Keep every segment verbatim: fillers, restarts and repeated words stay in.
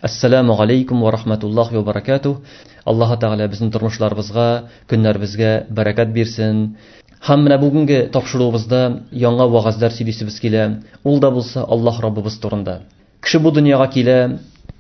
Ассаламу алейкум ва рахматуллахи ва баракатух. Аллаһ Тәгалә безнең тормышларыбызга, көннәребезгә бәрәкәт бирсен. Һәм менә бүгенге тапшыруыбызда яңа вәгазьләр сөйлисебез килә. Ул да булса Аллаһ Раббыбыз турында. Кеше бу дөньяга килә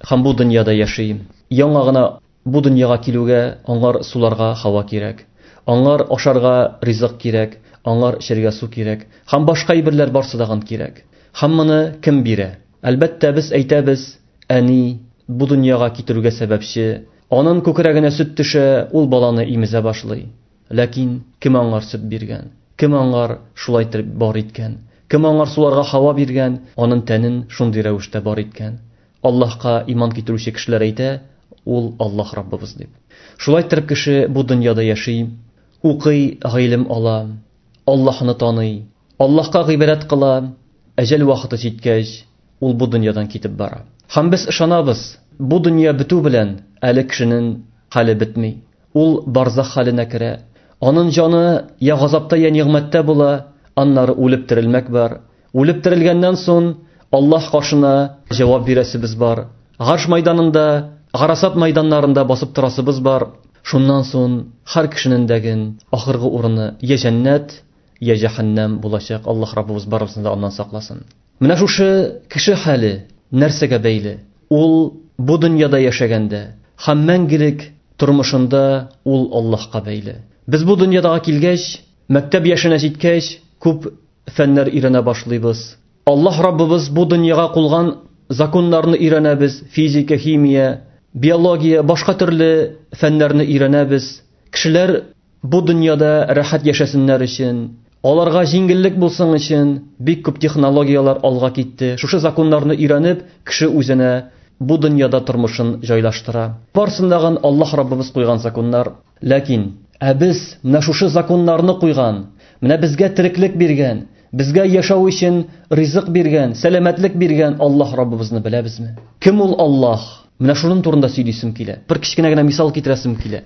һәм бу дөньяда яши. Яңа гына бу дөньяга килүгә аңар суларга һава кирәк, аңар ашарга ризык кирәк, аңар эчәргә су кирәк һәм башка әйберләр барсы да кирәк. Һәм моны кем бирә? Әлбәттә, без әйтәбез, әни бу дөньяга китерүгә сәбәпче. Аның күкрәгенә сөт төшә, ул баланы имезә башлый. Ләкин кем аңар сөт биргән? Кем аңар шулай итеп бар иткән? Кем аңар суларга һава биргән? Аның тәнен шундый рәвештә бар иткән. Аллаһка иман китерүче кешеләр әйтә, ул Аллаһ Раббыбыз дип. Шулай итеп кеше бу дөньяда яши, укый, гыйлем ала, Аллаһны таный, Аллаһка гыйбадәт кыла, әҗәл вакыты җиткәч, ул бу дөньядан китеп бара. Һәм без ышанабыз, бу дөнья бетү белән әле кешенең хәле бетми. Ул барзах хәленә керә. Аның җаны я газапта, я нигъмәттә була, аннары үлеп терелмәк бар. Үлеп терелгәннән соң Аллаһ каршына җавап бирәсебез бар. Гарш майданында, гарасат майданнарында басып торасыбыз бар. Шуннан соң һәр кешенең дәген ахыргы урыны я җәннәт, я җәһәннәм булачак. Аллаһ Раббыбыз барыбызны да аннан сакласын. Менә шушы кеше хәле нәрсәгә бәйле? Ул бу дөньяда яшәгәндә һәм мәңгелек тормышында ул Аллаһка бәйле. Без бу дөньяга килгәч, мәктәп яшенә җиткәч, күп фәннәр өйрәнә башлыйбыз. Аллаһ Раббыбыз бу дөньяга куйган законнарны өйрәнәбез, физика, химия, биология, башка төрле фәннәрне өйрәнәбез. Кешеләр бу дөньяда рәхәт яшәсеннәр өчен, аларга җиңеллек булсын өчен бик күп технологияләр алга китте. Шушы законнарны өйрәнеп, кеше үзенә бу дөньяда тормышын җайлаштыра. Барсындагы Аллаһ Раббыбыз куйган законнар. Ләкин ә без менә шушы законнарны куйган, менә безгә тереклек биргән, безгә яшәү өчен ризык биргән, сәламәтлек биргән Аллаһ Раббыбызны беләбезме? Кем ул Аллаһ? Менә шуның турында сөйлисем килә. Бер кечкенә генә мисал китерәсем килә.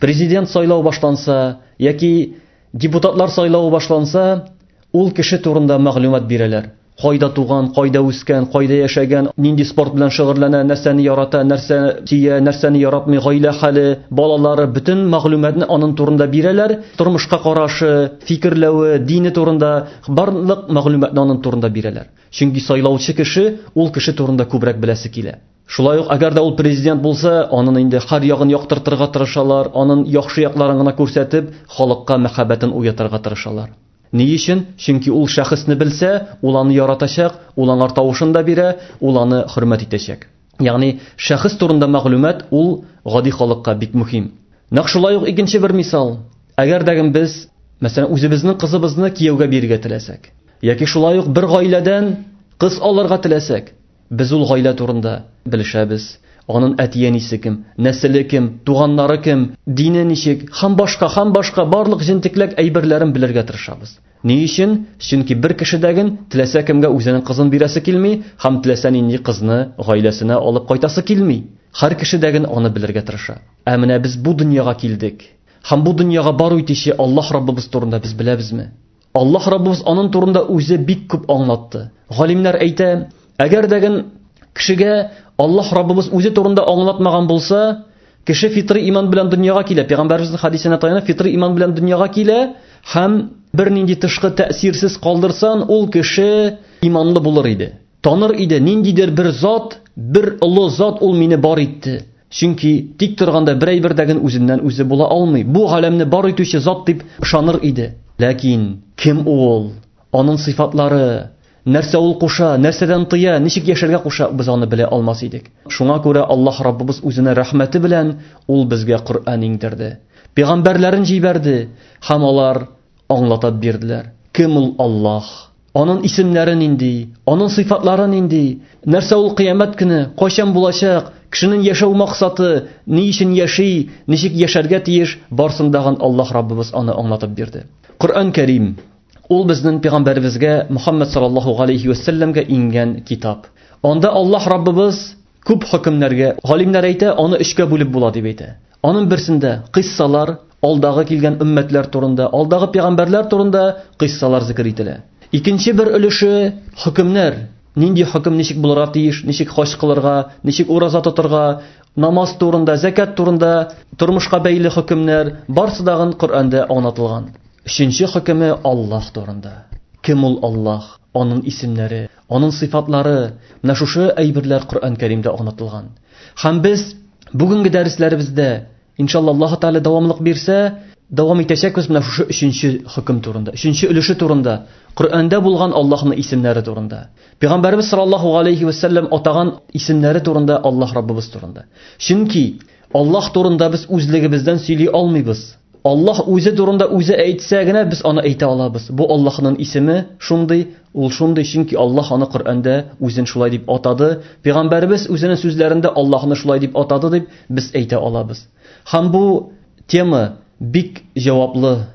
Президент сайлау башланса яки депутатлар сайлавы башланса, ул кеше турында мәгълүмат бирәләр. Кайда туган, кайда үскән, кайда яшәгән, нинди спорт белән шөгыльләнә, нәрсәне ярата, нәрсә сөя, нәрсәне яратмый, гаилә хәле, балалары, бөтен мәгълүматны аның турында бирәләр. Тормышка карашы, фикерләве, дине турында барлык мәгълүматны аның турында бирәләр. Чөнки сайлаучы кеше ул кеше турында күбрәк беләсе килә. Шулай ук, әгәр дә ул президент булса, аның инде һәр ягын яктыртырга тырышалар, аның яхшы якларын гына күрсәтеп, халыкка мәхәббәтен уятырга тырышалар. Ни өчен? Чөнки ул шәхесне белсә, ул аны яратачак, ул аңар тавышын да бирә, ул аны хөрмәт итәчәк. Ягъни шәхес турында мәгълүмат ул гади халыкка бик мөһим. Нәкъ шулай ук икенче бер мисал. Әгәр дә без, мәсәлән, үзебезнең кызыбызны кияүгә бирергә теләсәк, яки шулай ук бер гаиләдән кыз алырга теләсәк, без ул гаилә турында белешәбез. Аның әти-әнисе кем, нәселе кем, туганнары кем, дине ничек, һәм башка, һәм башка барлык җентекләк әйберләрен белергә тырышабыз. Ни өчен? Чөнки бер кешедәген теләсә кемгә үзенең кызын бирәсе килми, һәм теләсә нинди кызны гаиләсенә алып кайтасы килми. Һәр кешедәген аны белергә тырыша. Ә менә без бу дөньяга килдек. Һәм бу дөньяга бару итүче Аллаһ Раббыбыз турында без беләбезме? Аллаһ Раббыбыз аның турында үзе бик күп аңлатты. Галимнәр әйтә, әгәр дәген кешегә Аллаһ Раббыбыз үзе турында аңлатмаган булса, кеше фитри иман белән дөньяга килә. Пәйгамбәребезнең хадисенә таянып, фитри иман белән дөньяга килә һәм бернинди тышкы тәэсирсез калдырсан, ул кеше иманлы булыр иде. Таныр иде, ниндидер бер зат, бер олы зат ул мине бар итте. Чөнки тик торганда бер әйбердәген үзеннән үзе була алмый. Бу галәмне бар итүче зат дип ышаныр иде. Ләкин кем ул? Аның сыйфатлары, нәрсә ул куша, нәрсәдән тыя, ничек яшәргә куша, без аны белә алмас идек. Шуңа күрә Аллаһ Раббыбыз үзенә рәхмәте белән ул безгә Коръән иңдерде. Пәйгамбәрләрен җибәрде һәм алар аңлатып бирделәр. Кем ул Аллаһ? Аның исемнәре нинди? Аның сыйфатлары нинди? Нәрсә ул кыямәт көне? Кайчан булачак? Кешенең яшәү максаты, ни өчен яши, ничек яшәргә тиеш? Барсындагын Аллаһ Раббыбыз аны аңлатып бирде. Коръән Кәрим ул безнең пәйгамбәребезгә Мухаммад саллаллаһу алейхи ва сәлләмгә иңгән китап. Анда Аллаһ Раббыбыз күп хөкемнәргә, галимнәр әйтә, аны өчкә бүлеп була дип әйтә. Аның берсендә кыйссалар, алдагы килгән өммәтләр турында, алдагы пәйгамбәрләр турында кыйссалар зикр ителә. Икенче бер өлеше хөкемнәр, Нинди хөкем ничек булырга тиеш, ничек хаҗ кылырга, ничек ураза тотырга, намаз турында, зәкят турында, тормышка бәйле хөкемнәр барсы дагын Коръәндә аңлатылган. Өченче хөкеме Аллаһ турында. Кем ул Аллаһ? Аның исемнәре, аның сыйфатлары, менә шушы әйберләр Коръән Кәримдә аңлатылган. Һәм без бүгенге дәресләребездә, иншалла Аллаһ Тәгалә дәвамлык бирсә, дәвам итәчәкбез менә шушы өченче хөкем турында, өченче өлеше турында, Коръәндә булган Аллаһның исемнәре турында. Пәйгамбәрбез саллаллаһу алейхи ва саллям атаган исемнәре турында, Аллаһ Раббыбыз турында. Чөнки Аллаһ турында без үзлегебездән сөйли алмыйбыз. Аллаһ үзе турында үзе әйтсә генә без аны әйтә алабыз. Бу Аллаһның исеме шундый, ул шундый, чөнки Аллаһ аны Коръәндә үзен шулай дип атады. Пәйгамбәрбез үзенең сүзләрендә Аллаһны шулай дип атады дип без әйтә алабыз. Һәм бу тема бик җаваплы,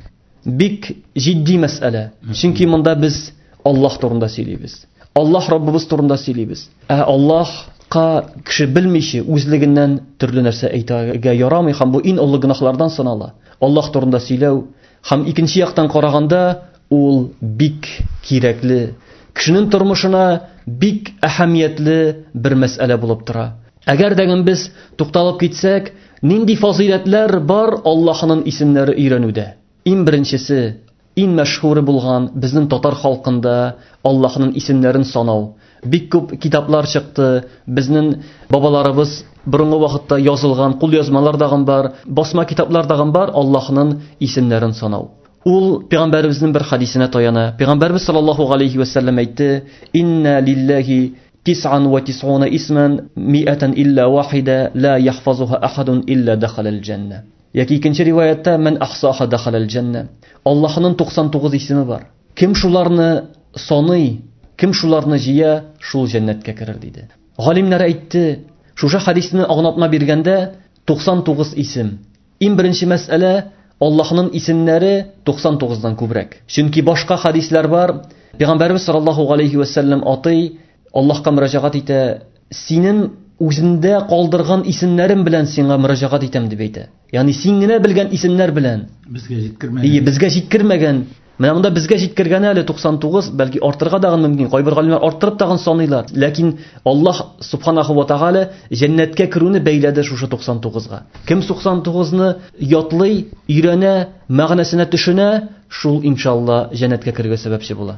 бик җитди мәсьәлә. Чөнки монда без Аллаһ турында сөйлибез. Аллаһ Раббыбыз турында сөйлибез. Ә Аллаһка кеше белмичә үзлегеннән төрле нәрсә әйтергә ярамый һәм бу иң олы гөнаһлардан санала. Аллаһ турында сөйләү һәм икенче яктан караганда ул бик кирәкле, кешенең тормышына бик әһәмиятле бер мәсьәлә булып тора. Әгәр дә без тукталып китсәк, нинди фазыйләтләр бар Аллаһның исемнәре өйрәнүдә? Иң беренчесе, иң мәшһүре булган безнең татар халкында Аллаһның исемнәрен санау. Бик күп китаплар чыкты, безнең бабаларыбыз борынгы вакытта язылган кулъязмалар дагын бар, басма китаплар дагын бар Аллаһның исемнәрен санау. Ул пәйгамбәребезнең бер хадисенә таяна. Пәйгамбәребез саллаллаһу алейхи ва саллям әйтте: "Инна лиллаһи тис'ан ва тис'уна исман ми'атан илля вахида ла яхфазуха ахадун илля дахалал джанна." Яки икенче риваятта "Ман ахсаха дахалал джанна." Аллаһның туксан тугыз исеме бар. Кем шуларны саный, кем шуларны җыя, шул җәннәткә керер диде. Галимнәр әйтте, шушы хадисне аңлатма биргәндә туксан тугыз исем. Иң беренче мәсьәлә Аллаһның исемнәре туксан тугыздан күбрәк. Чөнки башка хадисләр бар. Пәйгамбәрбез саллаллаһу алейхи ва саллям атый, Аллаһка мөрәҗәгать итә, синең үзендә калдырган исемнәрем белән сиңа мөрәҗәгать итәм дип әйтә. Ягъни син генә белгән исемнәр белән. Безгә җиткермәгән. Ие, безгә җиткермәгән. Менә монда безгә җиткергән әле туксан тугыз, бәлки артырга дагын мөмкин. Кайбер галимнәр арттырып тагын саныйлар. Ләкин Аллаһ субханаху ва тааля җәннәткә керүне бәйләде шушы туксан тугызга. Кем туксан тугызны ятлый, өйрәнә, мәгънәсенә төшенә, шул иншалла җәннәткә керергә сәбәпче була.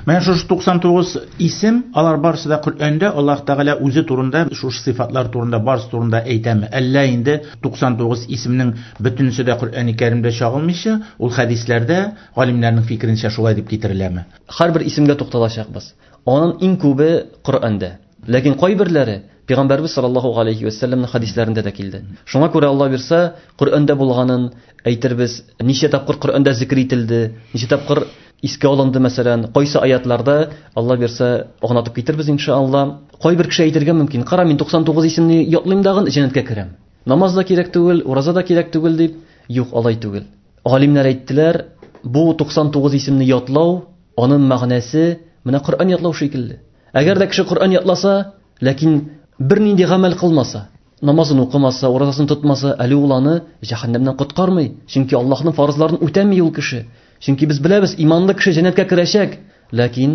Менә шушы туксан тугыз исем, алар барысы да Коръәндә Аллаһ Тәгалә үзе турында, шушы сыйфатлар турында, барысы турында әйтәме? Әллә инде туксан тугыз исемнең бөтенесе дә Коръән-и Кәримдә чагылмыйча, ул хәдисләрдә галимнәрнең фикеренчә шулай дип китереләме? Һәрбер исемгә тукталачакбыз. Аның иң күбе Коръәндә. Ләкин кайберләре Пәйгамбәрбез саллаллаһу алейхи ва саллямның хәдисләрендә дә килде. Шуңа күрә Алла бирсә, Коръәндә булганын әйтербез, ничә тапкыр Коръәндә зикр ителде, ничә тапкыр искә алынды, мәсәлән, кайсы аятларда Алла бирсә, аңлатып китербез иншалла. Кайбер кеше әйтергә мөмкин, кара, мин туксан тугыз исемне ятлыйм дагын, җәннәткә керәм. Намаз да кирәк түгел, ураза да кирәк түгел дип, юк, алай түгел. Галимнәр әйттеләр, бу туксан тугыз исемне ятлау, аның мәгънәсе менә Коръән ятлау шикелле. Әгәр дә кеше Коръән ятласа, ләкин бернинди гамәл кылмаса, намазын укымаса, уразасын тотмаса, әле ул аны җәһәннәмнән коткармый. Чөнки Аллаһның фарызларын үтәми ул кеше. Чөнки без беләбез, иманлы кеше җәннәткә керәчәк, ләкин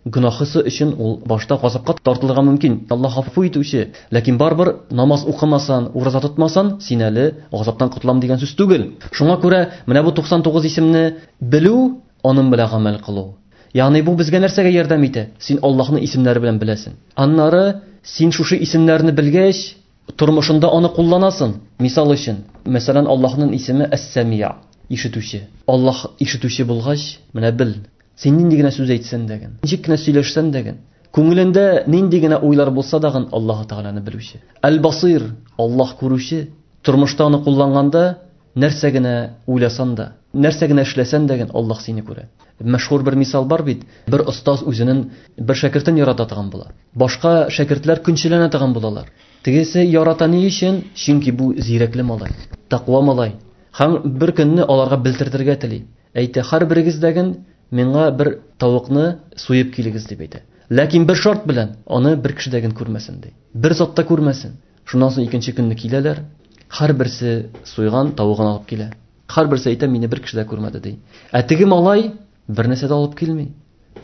гөнаһысы өчен ул башта газапка тартылырга мөмкин. Аллаһ гафу итүче. Ләкин барыбер намаз укымасан, ураза тотмасан, син әле газаптан котылам дигән сүз түгел. Шуңа күрә менә бу туксан тугыз исемне белү, аның белән гамәл кылу. Ягъни бу безгә нәрсәгә ярдәм итә? Син Аллаһның исемнәре белән беләсең. Аннары син шушы исемнәрне белгәч, тормышында аны кулланасың. Мисал өчен, мәсәлән, Аллаһның исеме Әс-Самия, ишетүче. Аллаһ ишетүче булгач, менә бел, син нинди генә сүз әйтсәң дә, ничек кенә сөйләшсәң дә, күңелендә нинди генә уйлар булса да, Аллаһ Тәгаләне белүче. Әл-Басир, Аллаһ күрүче. Тормышта аны кулланганда, нәрсә генә уйласаң да, нәрсә генә эшләсәң дә, Аллаһ сине күрә. Мәшһүр бер мисал бар бит. Бер остаз үзенең бер шәкертен ярата торган була. Башка шәкертләр көнчеләнә торган булалар. Тегесе ярата ни өчен? Чөнки бу зирәкле малай, тәкъва малай. Һәм бер көнне аларга белдертергә тели. Әйтә, һәрберегездәген миңа бер тавыкны суеп килегез дип әйтә. Ләкин бер шарт белән, аны бер кешедәген күрмәсен ди. Бер зат та күрмәсен. Шуннан соң икенче көнне киләләр. Һәрберсе суйган тавыгын алып килә. Һәрберсе әйтә, мине бер кеше дә күрмәде ди. Ә теге малай бер нәрсә дә алып килми.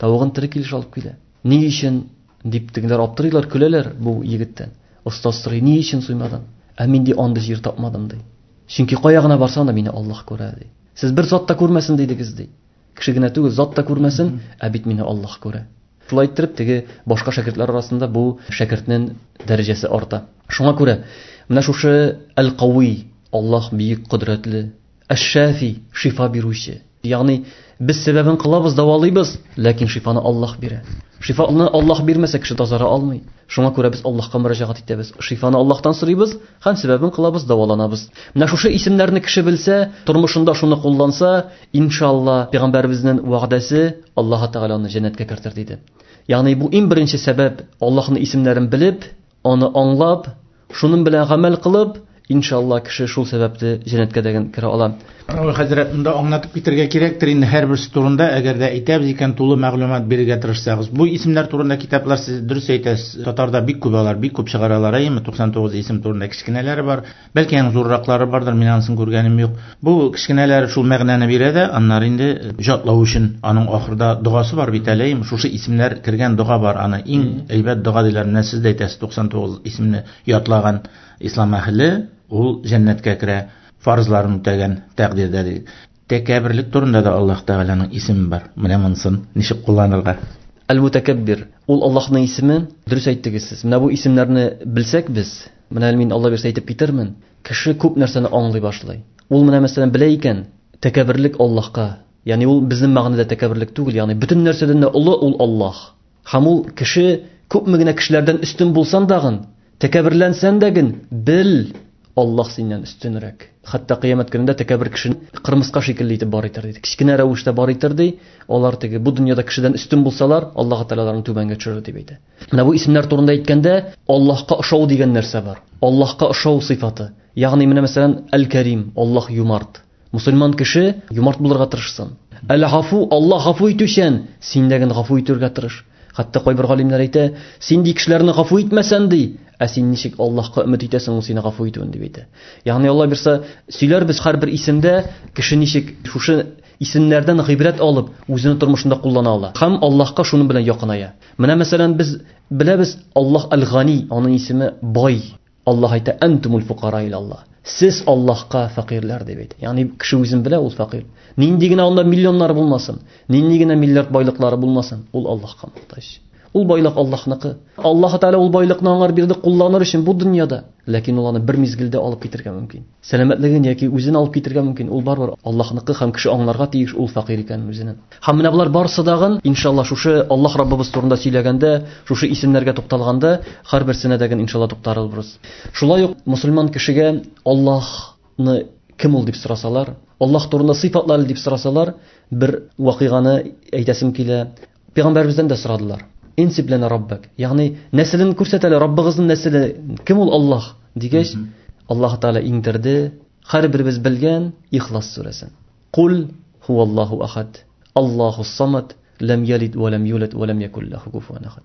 Тавыгын тере килеш алып килә. Ни өчен Дип тегеләр аптырыйлар, көләләр бу егеттән. Остаз сорый, ни өчен суймадың? Ә мин ди андый җир тапмадым ди. Чөнки кая гына барсам да мине Аллаһ күрә ди. Сез бер зат та күрмәсен дидегез ди. Кеше генә түгел, зат та күрмәсен, ә бит мине Аллаһ күрә. Шулай иттереп теге башка шәкертләр арасында бу шәкертнең дәрәҗәсе арта. Шуңа күрә менә шушы Әл-Кави, Аллаһ бөек кодрәтле, Әш-Шафи, шифа бирүче. Ягъни без сәбәбен кылабыз, дәвалыйбыз, ләкин шифаны Аллаһ бирә. Шифаны Аллаһ бирмәсә кеше тазара алмый. Шуңа күрә без Аллаһка мөрәҗәгать итәбез. Шифаны Аллаһтан сорыйбыз һәм сәбәбен кылабыз, дәваланабыз. Менә шушы исемнәрне кеше белсә, тормышында шуны кулланса, иншалла, пәйгамбәребезнең вәгъдәсе Аллаһ Тәгалә аны җәннәткә кертер диде. Ягъни бу иң беренче сәбәп Аллаһның исемнәрен белеп, аны аңлап, шуның белән гамәл кылып, иншалла кеше шул сәбәпле җәннәткә дә керә ала. Равил хәзрәт, монда аңлатып китергә кирәктер инде һәрберсе турында, әгәр дә әйтәбез икән, тулы мәгълүмат бирергә тырышсагыз. Бу исемнәр турында китаплар сез дөрес әйтәсез, татарда бик күп алар, бик күп чыгаралар, әйеме? туксан тугыз исем турында кечкенәләре бар, бәлки аның зурраклары бардыр, мин анысын күргәнем юк. Бу кечкенәләре шул мәгънәне бирә дә, аннары инде җатлау өчен аның ахырда догасы бар бит әле, әйеме? Шушы исемнәр кергән дога бар, аны иң әйбәт дога диләр. Менә сез дә әйтәсез, туксан тугыз исемне ятлаган ислам әһеле ул җәннәткә керә, фарызларын үтәгән тәкъдирдә ди. Тәкәбберлек турында да Аллаһ Тәгаләнең исеме бар. Менә монысын ничек кулланырга? Әл-Мутакаббир, ул Аллаһның исеме, дөрес әйттегез сез. Менә бу исемнәрне белсәк без, менә мин Алла бирсә әйтеп китермен, кеше күп нәрсәне аңлый башлый. Ул менә мәсәлән белә икән, тәкәбберлек Аллаһка, ягъни ул безнең мәгънәдә тәкәбберлек түгел, ягъни бөтен нәрсәдән дә олы ул Аллаһ. Һәм ул кеше күпме генә кешеләрдән өстен булсан дагын, тәкәбберләнсән дәген, бел, Аллаһ синнән өстенрәк. Хәтта кыямәт көнендә тәкәббер кешене кырмыска шикелле итеп бар итер диде. Кечкенә рәвештә бар итер ди. Алар теге бу дөньяда кешедән өстен булсалар, Аллаһ Тәгалә аларны түбәнгә төшерер дип әйтә. Менә бу исемнәр турында әйткәндә, Аллаһка ошау дигән нәрсә бар. Аллаһка ошау сыйфаты. Ягъни менә мәсәлән Әл-Кәрим, Аллаһ юмарт. Мусульман кеше юмарт булырга тырышсын. Әл-Гафу, Аллаһ гафу итүчән, син дә генә гафу итәргә тырыш. Хәтта кайбер галимнәр әйтә, син ди кешеләрне гафу итмәсән ди, ә син ничек Аллаһка өмет итәсең, ул сине гафу итүен дип әйтә. Ягъни Алла бирсә, сөйләрбез һәрбер исемдә кеше ничек шушы исемнәрдән гыйбрәт алып, үзенең тормышында куллана ала. Һәм Аллаһка шуның белән якыная. Менә мәсәлән без беләбез Аллаһ Әл-Гани, аның исеме бай. Аллаһ әйтә, Әнтумул фукара ила Аллаһ. Сез Аллаһка фәкыйрьләр дип әйтә. Ягъни кеше үзен белә, ул фәкыйрь. Нинди генә анда миллионнар булмасын, нинди генә миллиард байлыклары булмасын, ул Аллаһка мохтаҗ. Ул байлык Аллаһныкы. Аллаһ Тәгалә ул байлыкны аңар бирде кулланыр өчен бу дөньяда. Ләкин ул аны бер мизгелдә алып китергә мөмкин. Сәламәтлеген яки үзен алып китергә мөмкин. Ул барыбер Аллаһныкы һәм кеше аңларга тиеш ул фәкыйрь икәнен үзенең. Һәм менә болар барысы дагын, иншалла, шушы Аллаһ Раббыбыз турында сөйләгәндә, шушы исемнәргә тукталганда, һәрберсенә дә иншалла тукталырбыз. Шулай ук мусульман кешегә Аллаһны кем ул дип сорасалар, Аллаһ турында сыйфатлары дип сорасалар, бер вакыйганы әйтәсем килә. Пәйгамбәребездән дә сорадылар. Инсиб лана раббак. Ягъни нәселен күрсәтәле, Раббыгызның нәселе кем ул Аллаһ дигәч, Аллаһ Тәгалә иңдерде һәрберебез белгән Ихлас сүрәсен. Кул хуаллаһу ахад, Аллаһус самад, лам ялид ва лам юлад ва лам якул лаху куфуан ахад.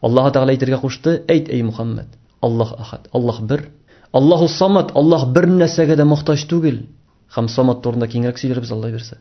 Аллаһ Тәгалә әйтергә кушты, әйт эй Мухаммад, Аллаһ ахад, Аллаһ бер. Аллаһус самад, Аллаһ бер нәрсәгә дә мохтаҗ түгел. Һәм самад турында киңрәк сөйләрбез Алла бирсә.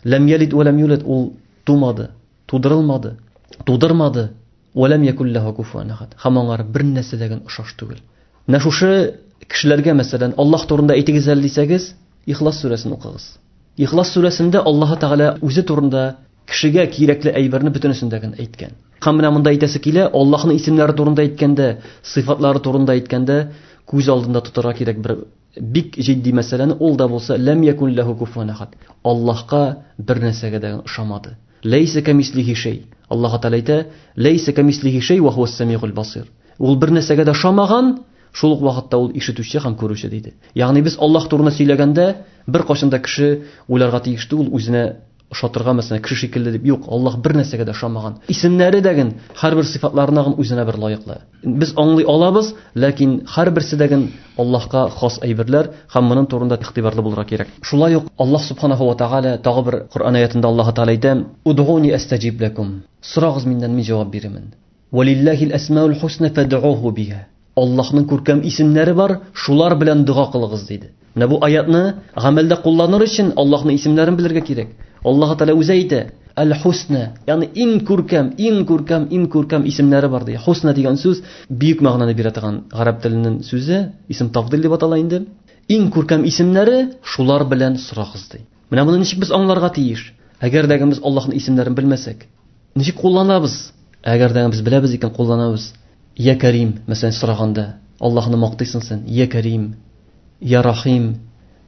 Лам ялид ва лам юлад, ул тумады, тудырылмады, тудырмады. Ва лам якул лаху куфуан ахад. Һәм аңар бер нәрсә дә охшаш түгел. Менә шушы кешеләргә мәсәлән Аллаһ турында әйтегез әле дисәгез, Ихлас сүрәсен укыгыз. Ихлас сүрәсендә Аллаһ Тәгалә үзе турында кешегә кирәкле әйберне бөтенесен дә әйткән. Һәм менә монда әйтәсе килә, Аллаһның исемнәре турында әйткәндә, сыйфатлары турында әйткәндә күз алдында тотарга кирәк бер бик җитди мәсьәләне, ул да булса лам якун лаху куфуан ахад. Аллаһка бер нәрсәгә дә ошамады. Ләйсә камислихи шәй. Аллаһ Тәгалә әйтә, ләйсә камислихи шәй ва хуас самигул басир. Ул бер нәрсәгә дә ошамаган, шул ук вакытта ул ишетүче һәм күрүче диде. Ягъни без Аллаһ турында сөйләгәндә бер кайчан да кеше уйларга тиеш түгел, үзенә ошатырга мәсәлән кеше шикелле дип. Юк, Аллаһ бер нәрсәгә дә ошамаган. Исемнәре дәген, һәрбер сыйфатларына гын үзенә бер лаеклы. Без аңлый алабыз, ләкин һәрберсе дәген Аллаһка хас әйберләр һәм моның турында игътибарлы булырга кирәк. Шулай ук Аллаһ субханаһу ва тааля тагы бер Коръән аятында Аллаһ Тааля әйтә: "Удуни астаҗиб лакум." Сорагыз миннән, мин җавап бирермен. Валиллахил асмаул хусна фад'уһу биха. Аллаһның күркәм исемнәре бар, шулар белән дога кылыгыз диде. Менә бу аятны гамәлдә кулланыр өчен Аллаһның исемнәрен белергә кирәк. Аллаһ Тааля үзе әйтә: Әл-Хусна, ягъни иң күркәм, иң күркәм, иң күркәм исемнәре бар ди. Хусна дигән сүз бөек мәгънәне бирә торган гарәп теленең сүзе, исем тафдил дип атала инде. Иң күркәм исемнәре шулар белән сорагыз ди. Менә моны ничек без аңларга тиеш? Әгәр дә без Аллаһның исемнәрен белмәсәк, ничек кулланабыз? Әгәр дә без беләбез икән, кулланабыз. Я Карим, мәсәлән, сораганда Аллаһны мактыйсың син, Я Карим, Я Рахим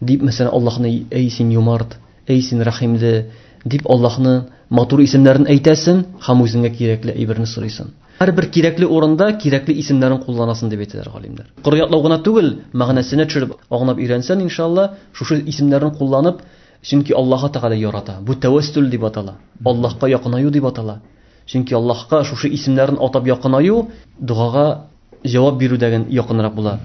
дип, мәсәлән, Аллаһны эй син юмарт, эй син рәхимле дип Аллаһны матур исемнәрен әйтәсең һәм үзеңә кирәкле әйберне сорыйсың. Һәрбер кирәкле урында кирәкле исемнәрен кулланасың дип әйтәләр галимнәр. Коры ятлау гына түгел, мәгънәсенә төшереп аңлап өйрәнсәң, иншалла, шушы исемнәрен кулланып, чөнки Аллаһ Тәгалә ярата. Бу тәвәссүл дип атала. Аллаһка якынаю дип атала. Чөнки Аллаһка шушы исемнәрен атап якынаю догага җавап бирүдән якынрак була.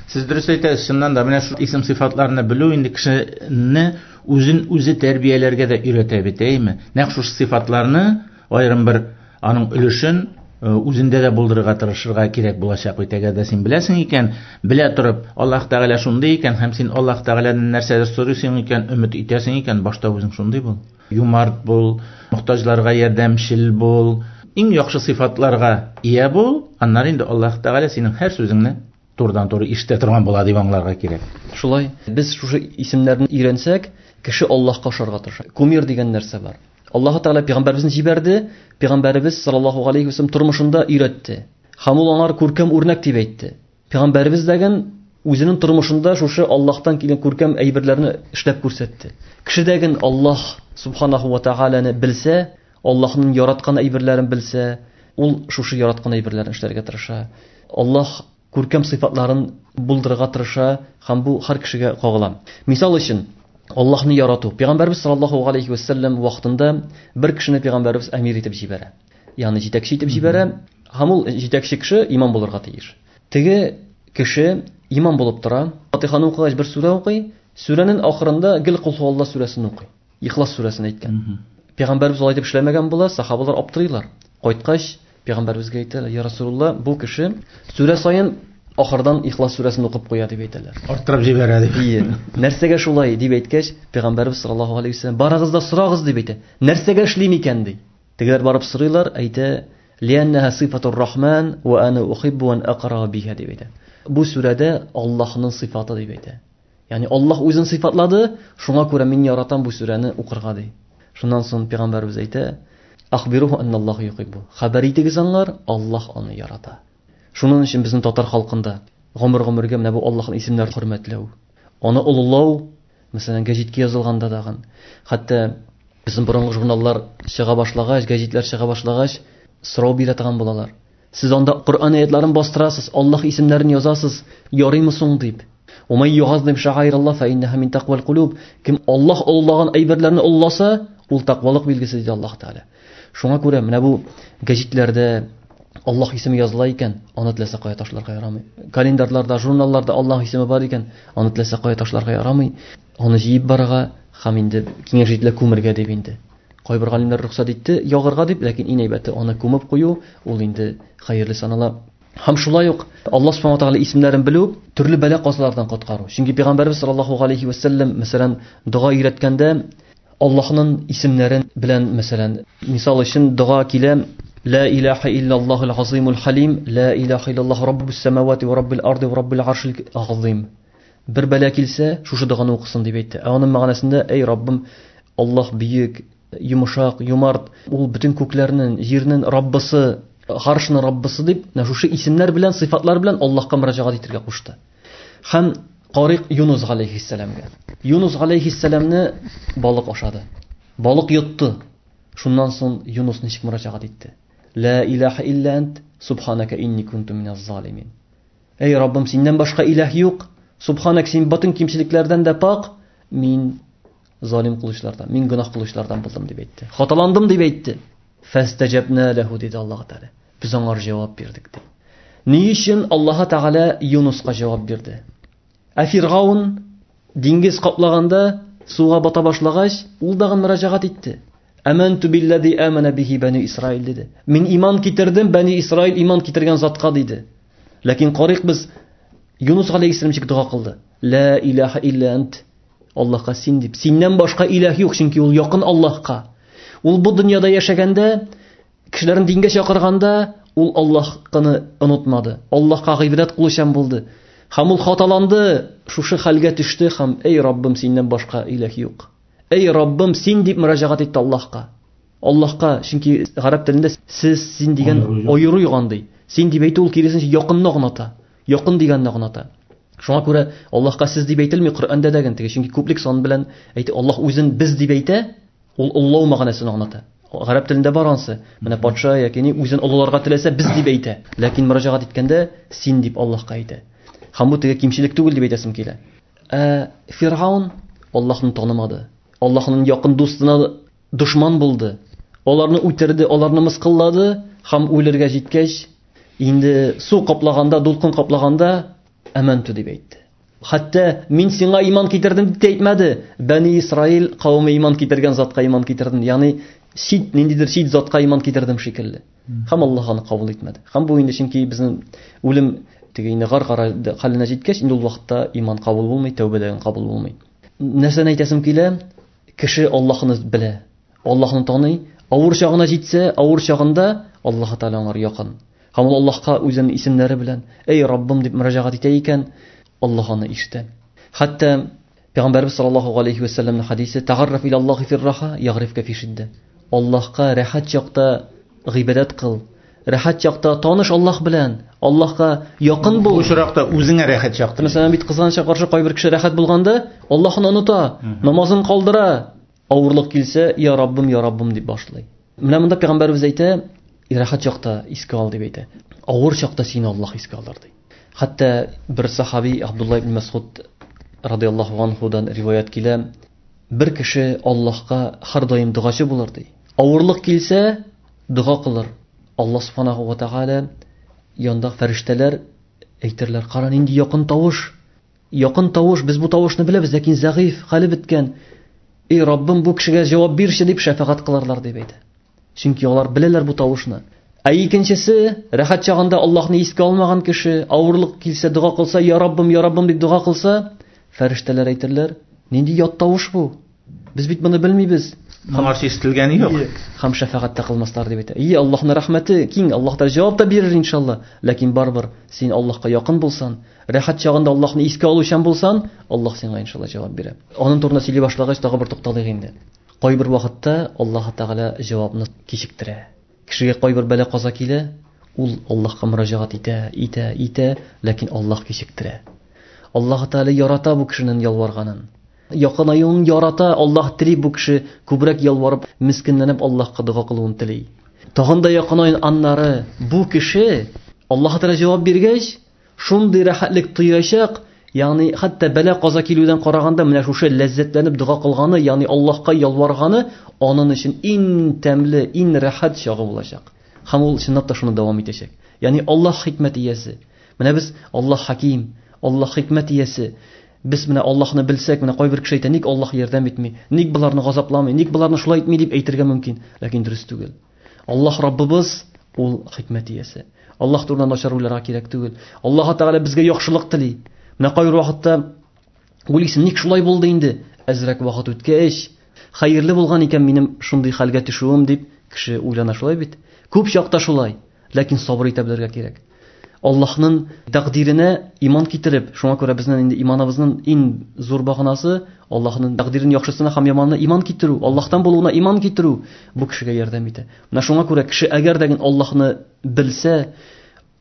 Сез дөрес әйтәсез, чыннан да менә шу исем сыйфатларны белү инде кешене үзен үзе тәрбияләргә дә өйрәтә бит, әйме? Нәкъ шушы сыйфатларны аерым бер аның өлешен үзендә дә булдырырга тырышырга кирәк булачак бит. Әгәр дә син беләсең икән, белә торып, Аллаһ Тәгалә шундый икән һәм син Аллаһ Тәгаләдән нәрсәдер сорыйсың икән, өмет итәсең икән, башта үзең шундый бул. Юмарт бул, мохтаҗларга ярдәмчел бул, иң яхшы сыйфатларга ия бул, аннары инде Аллаһ Тәгалә синең һәр сүзеңне турыдан-туры ишетә торган була дип аңларга кирәк. Шулай, без шушы исемнәрне өйрәнсәк, кеше Аллаһка ошарга тырыша. Кумир дигән нәрсә бар. Аллаһ Тәгалә пәйгамбәребезне җибәрде, пәйгамбәребез саллаллаһу алейхи ва саллям тормышында өйрәтте. Һәм ул аңар күркәм үрнәк дип әйтте. Пәйгамбәребез дәген үзенең тормышында шушы Аллаһтан килгән күркәм әйберләрне эшләп күрсәтте. Кеше дәген Аллаһ субханаху ва тәгаләне белсә, Аллаһның яраткан әйберләрен белсә, ул шушы яраткан әйберләрен эшләргә тырыша. Аллаһ күркәм сыйфатларын булдырырга тырыша һәм бу һәр кешегә кагыла. Мисал өчен, Аллаһны ярату. Пәйгамбәрбез саллаллаһу алейхи ва саллям вакытында бер кешене пәйгамбәрбез әмир итеп җибәрә. Ягъни җитәкче итеп җибәрә. Һәм ул җитәкче кеше имам булырга тиеш. Теге кеше имам булып тора. Фатиханы укыгач бер сүрә укый, сүрәнең ахырында гел Кул һуаллаһ сүрәсен укый. Ихлас сүрәсен әйткән. Пәйгамбәрбез алай дип эшләмәгән була, сахабалар аптырыйлар. Кайткач пәйгамбәрбезгә әйтәләр: "Я Расулуллаһ, бу кеше сүрә саен ахырдан Ихлас сүрәсен укып куя" дип әйтәләр. Арттырып җибәрә дип. Ие. Нәрсәгә шулай дип әйткәч, пәйгамбәрбез саллаллаһу алейхи ва саллям: "Барыгыз да сорагыз" дип әйтә. Нәрсәгә эшлим икән ди. Тегеләр барып сорыйлар, әйтә: "Лианнаһа сифатур рахман ва ана ухиббу ан акра биха" дип әйтә. Бу сүрәдә Аллаһның сыйфаты дип әйтә. Ягъни Аллаһ үзен сыйфатлады, шуңа күрә мин яратам бу сүрәне укырга ди. Шуннан соң пәйгамбәрбез әйтә: "Ахбируһу анналлаһу юхиббу." Хәбәр итегез аңар, Аллаһ аны ярата. Шуның өчен безнең татар халкында гомер-гомергә менә бу Аллаһның исемнәрен хөрмәтләү, аны олылау, мәсәлән, гәҗиткә язылганда дагын, хәтта безнең борынгы журналлар чыга башлагач, гәҗитләр чыга башлагач, сорау бирә торган булалар. Сез анда Коръән аятларын бастырасыз, Аллаһ исемнәрен язасыз, ярыймы соң дип. Умай югаззим шаираллаһ фа иннаһа мин тaqвал кулуб. Кем Аллаһ олылаган әйберләрне олыласа, ул тәкъвалык билгесе диде Аллаһ Тәгалә. Шуңа күрә менә бу гәҗитләрдә Аллаһ исеме языла икән, аны теләсә кая ташларга ярамый. Календарьларда, журналларда Аллаһ исеме бар икән, аны теләсә кая ташларга ярамый. Аны җыеп барырга һәм инде киңәш ителә күмергә дип инде. Кайбер галимнәр рөхсәт итте ягырга дип, ләкин иң әйбәте аны күмеп кую, ул инде хәерле санала. Һәм шулай ук Аллаһ субхана ва таала исемнәрен белү төрле бәла-казалардан коткару. Чөнки пәйгамбәрбез саллаллаһу алейхи ва саллям, мәсәлән, дога өйрәткәндә Аллаһның исемнәрен белән, мәсәлән, мисал өчен дога килә: Ла илаһа иллаллаһул азимул халим, ла илаһа иллаллаһу раббус самавати ва раббил арди ва раббил аршил азим. Бер бәла килсә, шушы доганы укысын дип әйтте. Ә аның мәгънәсендә: Эй Раббым, Аллаһ бөек, йомшак, юмарт, ул бөтен күкләрнең, җирнең Раббысы, гаршның Раббысы дип, менә шушы исемнәр белән, сыйфатлар белән Аллаһка мөрәҗәгать итәргә кушты. Һәм карыйк Юнус галәйһиссәламгә. Юнус галәйһиссәламне балык ашады. Балык йотты. Шуннан соң Юнус ничек мөрәҗәгать итте? Ла илаһа илля ант, субханака инни кунту миназ залимин. Эй Раббым, синнән башка илаһ юк. Субханак, син бөтен кимчелекләрдән дә пак. Мин залим кылучылардан, мин гөнаһ кылучылардан булдым дип әйтте. Хаталандым дип әйтте. Фастаҗабна лаху диде Аллаһ Тәгалә. Без аңар җавап бирдек ди. Ни өчен Аллаһ Тәгалә Юнуска җавап бирде? Ә Фиргаун диңгез каплаганда суга бата башлагач, ул дагын мөрәҗәгать итте. Аманту биллади амана бихи бани Исраил диде. Мин иман китердем, бани Исраил иман китергән затка диде. Ләкин карыйк без Юнус галәйһиссәлам ничек дога кылды? Ла илаһа илля ант. Аллаһка син дип. Синнән башка илаһ юк, чөнки ул якын Аллаһка. Ул бу дөньяда яшәгәндә, кешеләрен дингә чакырганда, ул Аллаһны онытмады. Аллаһка гыйбадәт кылучан булды. Һәм ул хаталанды, шушы хәлгә төште һәм эй Раббым, синнән башка илаһ юк. Эй Раббым, син дип мөрәҗәгать итте Аллаһка. Аллаһка, чөнки гарәп телендә сез, син дигән аеру юк андый. Син дип әйтү ул киресенчә якынны аңлата. Якын дигәнне аңлата. Шуңа күрә Аллаһка сез дип әйтелми Коръәндә дә теге, чөнки күплек сан белән әйтә. Аллаһ үзен без дип әйтә, ул олылау мәгънәсен аңлата. Гарәп телендә бар ансы. Менә патша яки ни үзен олыларга теләсә без дип әйтә. Ләкин мөрәҗәгать иткәндә син дип Аллаһка әйтә. Һәм бу теге кимчелек түгел дип әйтәсем килә. Ә Фиргаун Аллаһны танымады. Аллаһның якын дустына дошман булды. Аларны үтерде, аларны мыскыллады һәм үлергә җиткәч, инде су каплаганда, дулкын каплаганда әмәнту дип әйтте. Хәтта мин сиңа иман китердем дип әйтмәде. Бәни Исраил кавеме иман китергән затка иман китердем. Ягъни чит, ниндидер чит затка иман китердем шикелле. Һәм Аллаһ аны кабул итмәде. Һәм бу инде чөнки безнең үлем теге инде гар-гара хәленә җиткәч, инде ул вакытта иман кабул булмый, тәүбә дә кабул булмый. Нәрсәне әйтәсем килә? Кеше Аллаһны белә, Аллаһны таный, авыр чагына җитсә, авыр чагында Аллаһ Тәгалә аңар якын. Һәм ул Аллаһка үзенең исемнәре белән "Эй Раббым" дип мөрәҗәгать итә икән, Аллаһ аны ишетә. Хәтта Пәйгамбәрбез саллаллаһу алейхи ва сәлләмнең хадисе "Тәгарраф ила Аллаһи фир-раха ягрифка фи шиддә". Аллаһка рәхәт чакта гыйбадәт кыл. Рәхәт чакта таныш Аллаһ белән, Аллаһка якын бул. Бу очракта үзеңә рәхәт чакта. Мәсәлән, бит кызганычка каршы кайбер кеше рәхәт булганда Аллаһны оныта, намазын калдыра. Авырлык килсә, "Я Раббым, я Раббым" дип башлый. Менә монда пәйгамбәрбез әйтә, рәхәт чакта искә ал дип әйтә. Авыр чакта сине Аллаһ искә алыр ди. Хәтта бер сахаби Абдулла ибн Мас'уд радияллаһу анһудан риваять килә, бер кеше Аллаһка һәр даим догачы булыр ди. Авырлык килсә, дога кылыр. Аллаһ субханаһу ва тааля янда фәрештәләр әйтерләр, кара нинди якын тавыш. Якын тавыш, без бу тавышны беләбез, ләкин зәгыйф, хәле беткән. Эй Раббым, бу кешегә җавап бирче дип шәфәгать кыларлар дип әйтә. Чөнки алар беләләр бу тавышны. Ә икенчесе, рәхәт чагында Аллаһны искә алмаган кеше, авырлык килсә дога кылса, "Я Раббым, я Раббым" дип дога кылса, фәрештәләр әйтерләр, нинди ят тавыш бу? Без бит моны белмибез. Моңарчы ишетелгәне юк. Һәм шәфәгать тә кылмаслар дип әйтә. И Аллаһның рәхмәте киң, Аллаһ та җавап та бирер иншалла. Ләкин барыбер син Аллаһка якын булсан, рәхәт чагында Аллаһны искә алучан булсан, Аллаһ сиңа иншалла җавап бирә. Аның турында сөйли башлагач, тагы бер тукталыйк инде. Кайбер вакытта Аллаһ Тәгалә җавапны кичектерә. Кешегә кайбер бәла каза килә, ул Аллаһка мөрәҗәгать итә, итә, итә, ләкин Аллаһ кичектерә. Аллаһ Тәгалә ярата бу кешенең ялварганын. Якынаюын ярата, Аллаһ тели бу кеше күбрәк ялварып, мискинләнеп Аллаһка дога кылуын тели. Тагын да якынайын аннары бу кеше Аллаһ Тәгалә җавап биргәч, шундый рәхәтлек тоячак, ягъни хәтта бәла каза килүдән караганда менә шушы ләззәтләнеп дога кылганы, ягъни Аллаһка ялварганы аның өчен иң тәмле, иң рәхәт чагы булачак. Һәм ул чынлап та шуны дәвам итәчәк. Ягъни Аллаһ хикмәт иясе. Менә без Аллаһ хаким, Аллаһ хикмәт иясе. Без менә Аллаһны белсәк, менә кайбер кеше әйтә, ник Аллаһ ярдәм итми, ник боларны газапламый, ник боларны шулай итми дип әйтергә мөмкин, ләкин дөрес түгел. Аллаһ Раббыбыз ул хикмәт иясе. Аллаһ турында начар уйларга кирәк түгел. Аллаһ Тәгалә безгә яхшылык тели. Менә кайбер вакытта уйлыйсың, ник шулай булды инде? Әзрәк вакыт үткәч, хәерле булган икән минем шундый хәлгә төшүем дип кеше уйлана шулай бит. Күп чакта шулай, ләкин сабыр итә белергә кирәк. Аллаһның тәкъдиренә иман китереп, шуңа күрә безнең инде иманыбызның иң зур баганасы Аллаһның тәкъдирен яхшысына һәм яманына иман китерү, Аллаһтан булуына иман китерү бу кешегә ярдәм итә. Менә шуңа күрә кеше әгәр дә Аллаһны белсә,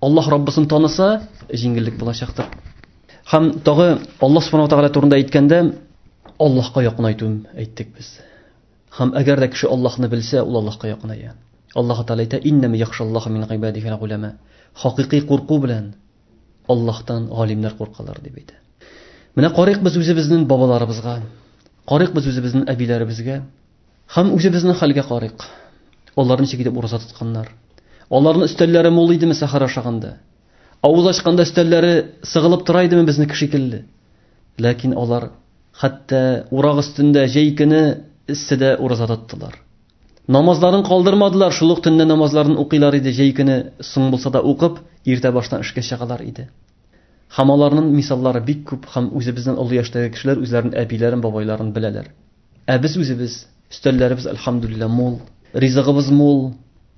Аллаһ Раббысын таныса, җиңеллек булачактыр. Һәм тагы Аллаһ субхана ва тааля турында әйткәндә, Аллаһка якынайтуын әйттек без. Һәм әгәр дә кеше Аллаһны белсә, ул Аллаһка якыная. Аллаһ Тааля әйтә: "Иннәмә яхшаллаһу мин гыйбадихил уляма". Хакыйкый курку белән Аллаһтан галимнәр куркалар дип әйтә. Менә карыйк без үзебезнең бабаларыбызга, карыйк без үзебезнең әбиләребезгә һәм үзебезнең хәлгә карыйк. Алар ничек итеп ураза тотканнар? Аларның өстәлләре мул идеме сәхәр ашаганда? Авыз ачканда өстәлләре сыгылып тора идеме безнеке шикелле? Ләкин алар хәтта урак өстендә җәй көне эсседә ураза тоттылар. Намазларын калдырмадылар, шул ук төнне намазларын укыйлар иде, җәй көне соң булса да укып, иртә баштан эшкә чыгалар иде. Һәм аларның мисаллары бик күп, һәм үзебезнең олы яшьтәге кешеләр үзләренең әбиләрен, бабайларын беләләр. Ә без үзебез Өстәлләребез әлхәмдүлилләһ мул, ризыгыбыз мул,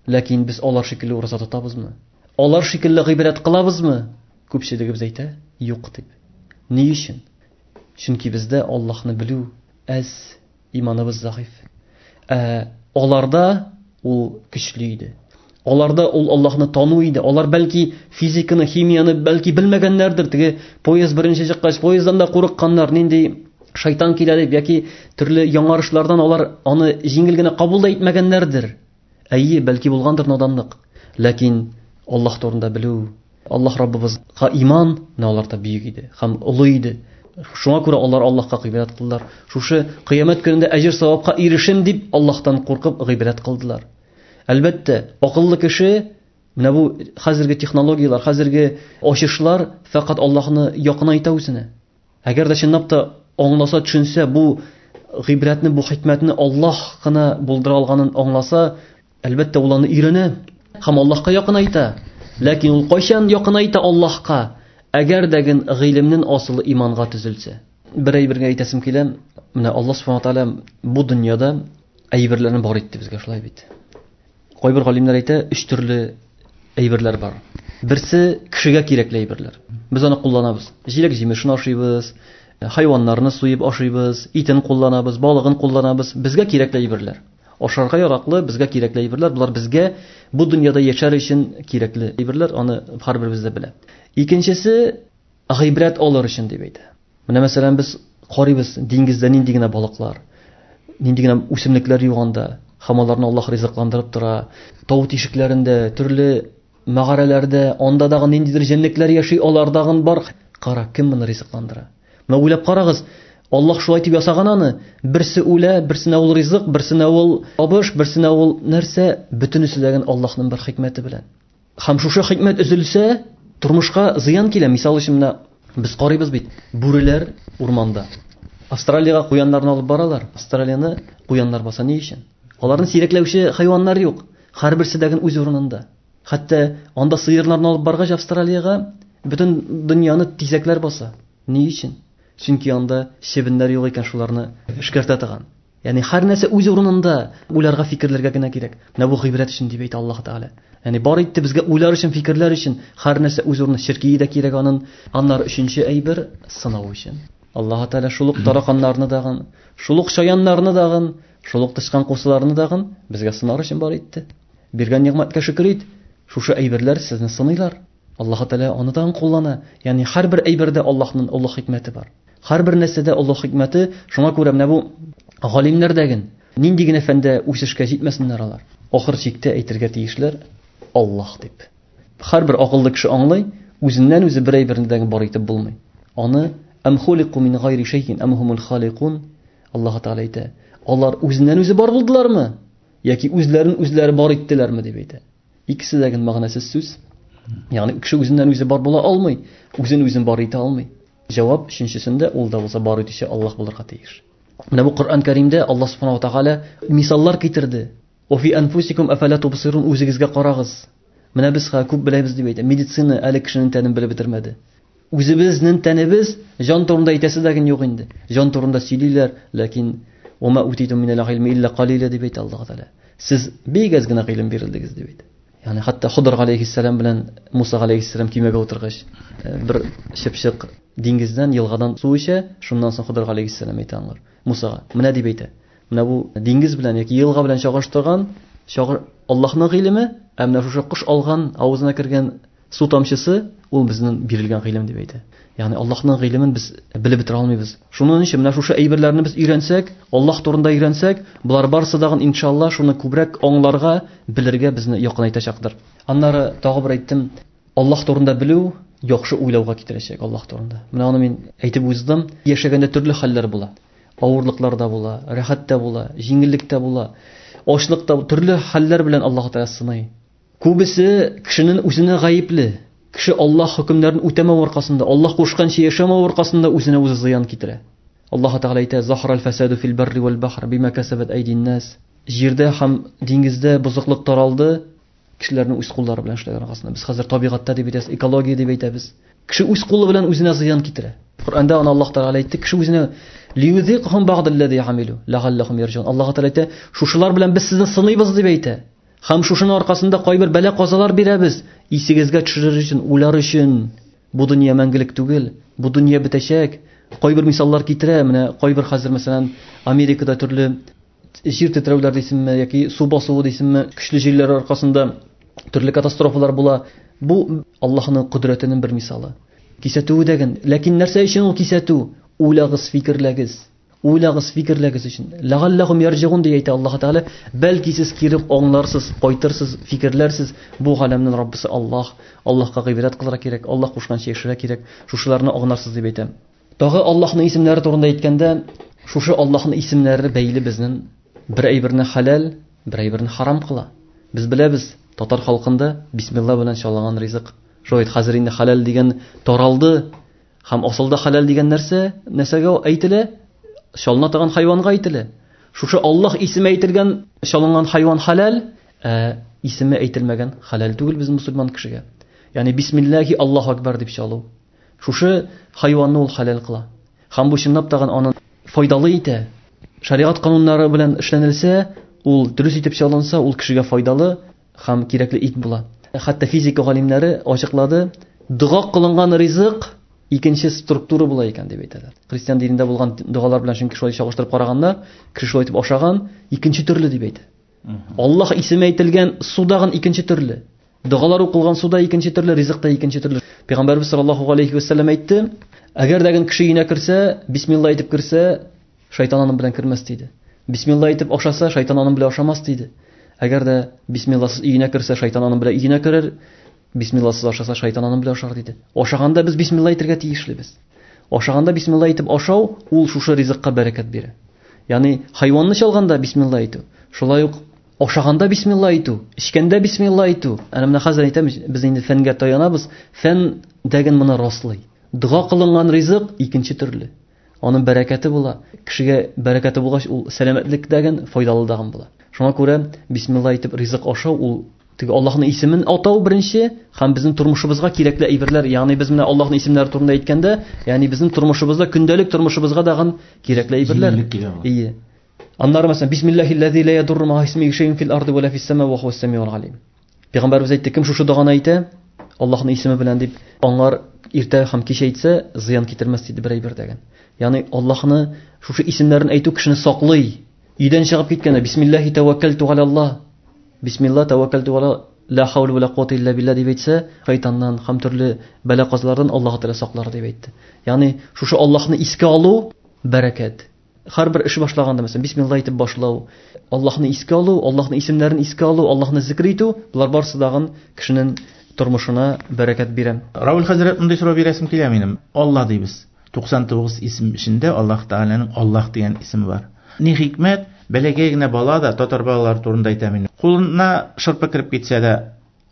ләкин без алар шикелле ураза тотабызмы? Алар шикелле гыйбадәт кылабызмы? Күпчелегебез әйтә, юк дип. Ни өчен? Чөнки бездә Аллаһны белү әз, иманыбыз зәгыйфь. Ә аларда ул көчле иде. Аларда ул Аллаһны тану иде. Алар бәлки физиканы, химияны бәлки белмәгәннәрдер. Теге поезд беренче чыккач, поезддан да курыкканнар, нинди шайтан килә дип, яки төрле яңарышлардан алар аны җиңел генә кабул да итмәгәннәрдер. Әйе, бәлки булгандыр наданлык. Ләкин Аллаһ турында белү, Аллаһ Раббыбызга иман менә аларда бөек иде һәм олы иде. Шуңа күрә алар Аллаһка гыйбадәт кылдылар. Шушы кыямәт көнендә әҗер савапка ирешим дип Аллаһтан куркып гыйбадәт кылдылар. Әлбәттә, акыллы кеше менә бу хәзерге технологияләр, хәзерге ачышлар фәкать Аллаһны якынайта үзенә. Әгәр дә чынлап та аңласа, төшенсә, бу гыйбрәтне, бу хикмәтне Аллаһ кына булдыра алганын аңласа, әлбәттә, ул аны өйрәнә һәм Аллаһка якынайта. Ләкин ул кайчан якынайта Аллаһка? Әгәр дәген гыйлемнең асылы иманга төзелсә. Бер әйбергә әйтәсем килә, менә Аллаһ субхана ва тааля бу дөньяда әйберләрне бар итте безгә, шулай бит. Кайбер галимнәр әйтә, өч төрле әйберләр бар. Берсе кешегә кирәкле әйберләр. Без аны кулланабыз. Җиләк-җимешен ашыйбыз, хайваннарны суеп ашыйбыз, итен кулланабыз, балыгын кулланабыз. Безгә кирәкле әйберләр. Ашарга яраклы, безгә кирәкле әйберләр. Булар безгә бу дөньяда яшәр өчен кирәкле әйберләр, аны һәрберебез дә белә. Икенчесе гыйбрәт алыр өчен дип әйтә. Менә мәсәлән без карыйбыз, диңгездә нинди генә балыклар, нинди генә үсемлекләр юк анда, һәм аларны Аллаһ ризыкландырып тора. Тау тишекләрендә, төрле мәгарәләрдә, анда дагы ниндидер җәнлекләр яши, алардагын бар. Кара, кем моны ризыкландыра? Менә уйлап карагыз, Аллаһ шулай дип ясаган аны. Берсе үлә, берсенә ул ризык, берсенә ул табыш, берсенә ул нәрсә, бөтенесе дәген Аллаһның бер хикмәте белән. Һәм шушы хикмәт өзелсә, тормышка зыян килә. Мисал өчен менә без карыйбыз бит, бүреләр урманда. Австралиягә куяннарны алып баралар. Австралияне куяннар баса ни өчен? Аларны сирәкләүче хайваннар юк. Һәрберсе дәген үз урынында. Хәтта анда сыерларны алып баргач Австралиягә бөтен дөньяны тизәкләр баса. Ни өчен? Чөнки анда чебеннәр юк икән, шуларны эшкәртә торган. Ягъни һәр нәрсә үз урынында, уйларга, фикерләргә генә кирәк. Менә бу гыйбрәт өчен дип әйтә Аллаһ Тәгалә. Ягъни бар итте безгә уйлар өчен, фикерләр өчен, һәр нәрсә үз урынында, чиркие дә кирәк анын. Аннары өченче әйбер сынау өчен. Аллаһ Тәгалә шул ук тараканнарны дагын, шул ук чаяннарны дагын, шул ук тычкан кусыларны дагын безгә сынар өчен бар итте. Биргән нигъмәткә шөкер ит. Шушы әйберләр сезне сыныйлар. Аллаһ Тәгалә аны дагын куллана. Ягъни һәрбер әйбердә Аллаһның олы хикмәте бар. Һәрбер нәрсәдә Аллаһ хикмәте. Шуңа күрә менә бу галимнәр дәген нинди генә фәндә үсешкә җитмәсеннәр алар, ахыр чиктә әйтергә тиешләр Аллаһ дип. Һәрбер акыллы кеше аңлый, үзеннән үзе бер әйберне дә бар итеп булмый. Аны ам хулику мин гайри шәйин ам хумул халикун, Аллаһ Тәгалә әйтә. Алар үзеннән үзе бар булдылармы яки үзләрен үзләре бар иттеләрме дип әйтә. Икесе дә генә мәгънәсез сүз. Ягъни кеше үзеннән үзе бар була алмый, үзен үзен бар итә алмый. Җавап өченчесендә ул да булса бар итүче Аллаһ булырга тиеш. Менә бу Коръән Кәримдә Аллаһ Субханаһу ва Тәгалә мисаллар китерде. Ва фи анфусикум афала тубсирун, үзегезгә карагыз. Менә без ха күп беләбез дип әйтә. Медицина әле кешенең тәнен белеп бетермәде. Үзебезнең тәнебез җан турында әйтәсе дә юк инде. Җан турында сөйлиләр, ләкин ума утитум минал гыйльми илля калила дип әйтә Аллаһ Тәгалә. Сез бик аз гына гыйлем бирелдегез дип әйтә. Ягъни хәтта Хыдыр галәйһиссәлам белән Муса галәйһиссәлам кимәгә утыргач, бер чыпчык диңгездән, елгадан су эчә, шуннан соң Хыдыр галәйһиссәлам әйтә аңар, Мусага, менә дип әйтә. Менә бу диңгез белән яки елга белән чагыштырган, чагыр Аллаһның гыйлеме, ә менә шушы кош алган, авызына кергән су тамчысы, ул безнең бирелгән гыйлем дип әйтә. Ягъни Аллаһның гыйлемен без белеп бетерә алмыйбыз. Шуның өчен менә шушы әйберләрне без өйрәнсәк, Аллаһ турында өйрәнсәк, болар барысы дагын иншалла шуны күбрәк аңларга, белергә безне якынайтачактыр. Аннары тагы бер әйттем, Аллаһ турында белү яхшы уйлауга китерәчәк Аллаһ турында. Менә аны мин әйтеп уздым. Яшәгәндә төрле хәлләр була. Авырлыклар да була, рәхәт тә була, җиңеллек тә була, ачлык та, төрле хәлләр белән Аллаһ Тәгалә сыный. Күбесе кешенең үзенә гаепле. Кеше Аллаһ хөкемнәрен үтәмәү аркасында, Аллаһ кушканча яшәмәү аркасында үзенә үзе зыян китерә. Аллаһ Тәгалә әйтә: "Захарал фасаду фил барри вал бахр бима касабат айдин нас." Җирдә һәм диңгездә бозыклык таралды, кешеләрнең үз куллары белән эшләгән аркасында. Без хәзер табигатьтә дип әйтәбез, экология дип әйтәбез. Кеше үз кулы белән үзенә зыян китерә. Коръәндә аны Аллаһ Тәгалә әйтте, кеше үзенә Лиюзикахум бa'даллази амилу лa'аллахум ярҗун. Аллаһ Тәгалә әйтә, шушылар белән без сезне сыныйбыз дип әйтә. Һәм шушының аркасында кайбер бәла-казалар бирәбез, исегезгә төшерер өчен, уйлар өчен. Бу дөнья мәңгелек түгел, бу дөнья бетәчәк. Кайбер мисаллар китерә, менә кайбер хәзер мәсәлән Америкада төрле җир тетрәүләр дисеңме яки су басуы дисеңме, көчле җилләр аркасында төрле катастрофалар була. Бу Аллаһның кодрәтенең бер мисалы. Кисәтүе дәген. Ләкин нәрсә өчен ул кисәтү? Уйлагыз, фикерләгез. Уйлагыз, фикерләгез өчен. Ләгалләһум ярҗигун дип әйтә Аллаһ Тәгалә. Бәлки сез кире аңларсыз, кайтырсыз, фикерләрсез. Бу галәмнең Раббысы Аллаһ. Аллаһка гыйбадәт кылырга кирәк, Аллаһ кушканча яшәргә кирәк. Шушыларны аңларсыз дип әйтәм. Тагы Аллаһның исемнәре турында әйткәндә, шушы Аллаһның исемнәре бәйле безнең бер әйберне хәләл, бер әйберне харам кыла. Без беләбез, татар халкында бисмилла белән чалынган ризык. Шулай хәзер инде хәләл дигән таралды. Һәм асылда хәләл дигән нәрсә нәрсәгә әйтелә? Чалына торган хайванга әйтелә. Шушы Аллаһ исеме әйтелгән чалынган хайван хәләл, ә исеме әйтелмәгән хәләл түгел безнең мусульман кешегә. Ягъни бисмиллахи Аллаһу акбар дип чалу. Шушы хайванны ул хәләл кыла. Һәм бу чынлап тагын аны файдалы итә. Шариат кануннары белән эшләнелсә, ул дөрес итеп чалынса, ул кешегә файдалы һәм кирәкле ит була. Хәтта физика галимнәре ачыклады, дога кылынган ризык икенче структура була икән дип әйтәләр. Христиан динендә булган догалар белән чөнки шулай чагыштырып караганда, кеше шулай итеп ашаган икенче төрле дип әйтә. Аллаһ исеме әйтелгән судагын икенче төрле. Догалар укылган суда икенче төрле, ризык та икенче төрле. Пәйгамбәрбез саллаллаһу алейхи ва саллям әйтте, әгәр дә кеше өенә керсә, бисмилла әйтеп керсә, шайтан аның белән кермәс диде. Бисмилла әйтеп ашаса, шайтан аның белән ашамас диде. Әгәр дә бисмилласыз өенә керсә, шайтан аның белән өенә керер, бисмилласыз ашаса, шайтан аның белән ашар диде. Ашаганда без бисмилла әйтергә тиешлебез. Ашаганда бисмилла әйтеп ашау, ул шушы ризыкка бәрәкәт бирә. Ягъни хайванны чалганда бисмилла әйтү, шулай ук ашаганда бисмилла әйтү, эчкәндә бисмилла әйтү. Әнә менә хәзер әйтәм, без инде фәнгә таянабыз, фән дәген моны раслый. Дога кылынган ризык икенче төрле. Аның бәрәкәте була. Кешегә бәрәкәте булгач, ул сәламәтлек дәген, файдалы дагын була. Шуңа күрә бисмилла әйтеп ризык ашау ул теге Аллаһның исемен атау беренче һәм безнең тормышыбызга кирәкле әйберләр, ягъни без менә Аллаһның исемнәре турында әйткәндә, ягъни безнең тормышыбызда, көндәлек тормышыбызга дагын кирәкле әйберләр. Ие. Аннары мәсәлән, бисмиллахиллази ла ядурру ма исмихи шәйъун фил арди ва ла фис сама ва хуас самиул алим. Пәйгамбәрбез әйтте, кем шушы доганы әйтә, Аллаһның исеме белән дип, аңар иртә һәм кич әйтсә, зыян китермәс диде бер әйбер дигән. Ягъни Аллаһны шушы исемнәрен әйтү кешене саклый. Өйдән чыгып киткәндә бисмиллахи таваккалту алаллаһ, бисмилла таваккалту ала ла хаула ва ла куата илля билла дип әйтсә, шайтаннан һәм төрле бәла-казалардан Аллаһ Тәгалә саклар дип әйтте. Ягъни шушы Аллаһны искә алу бәрәкәт. Һәрбер эш башлаганда, мәсәлән, бисмилла әйтеп башлау, Аллаһны искә алу, Аллаһның исемнәрен искә алу, Аллаһны зикр итү, болар барысы дагын кешенең тормышына бәрәкәт бирә. Равил хәзрәт, мондый сорау бирәсем килә минем. Аллаһ дибез. туксан тугыз исем эчендә Аллаһ Тәгаләнең Аллаһ дигән исеме бар. Ни хикмәт, бәләкәй генә бала да татар балалары турында әйтәм инде. Кулына шырпы кереп китсә дә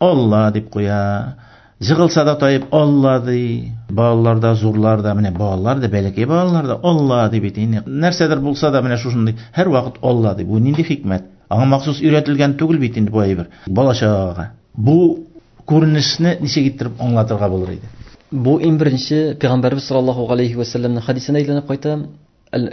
Алла дип куя. Жыгылса да таеп Алла ди. Балалар да, зурлар да, менә балалар да, бәләкәй балалар да Алла дип әйтә инде. Нәрсәдер булса да менә шушындый һәр вакыт Алла ди. Бу нинди хикмәт? Аңа махсус өйрәтелгән түгел бит инде бу әйбер. Бала чагага. Бу күренешне ничек иттереп аңлатырга булыр иде? Бу иң беренче Пәйгамбәрбез саллаллаһу алейхи ва саллямның хадисенә әйләнеп кайта.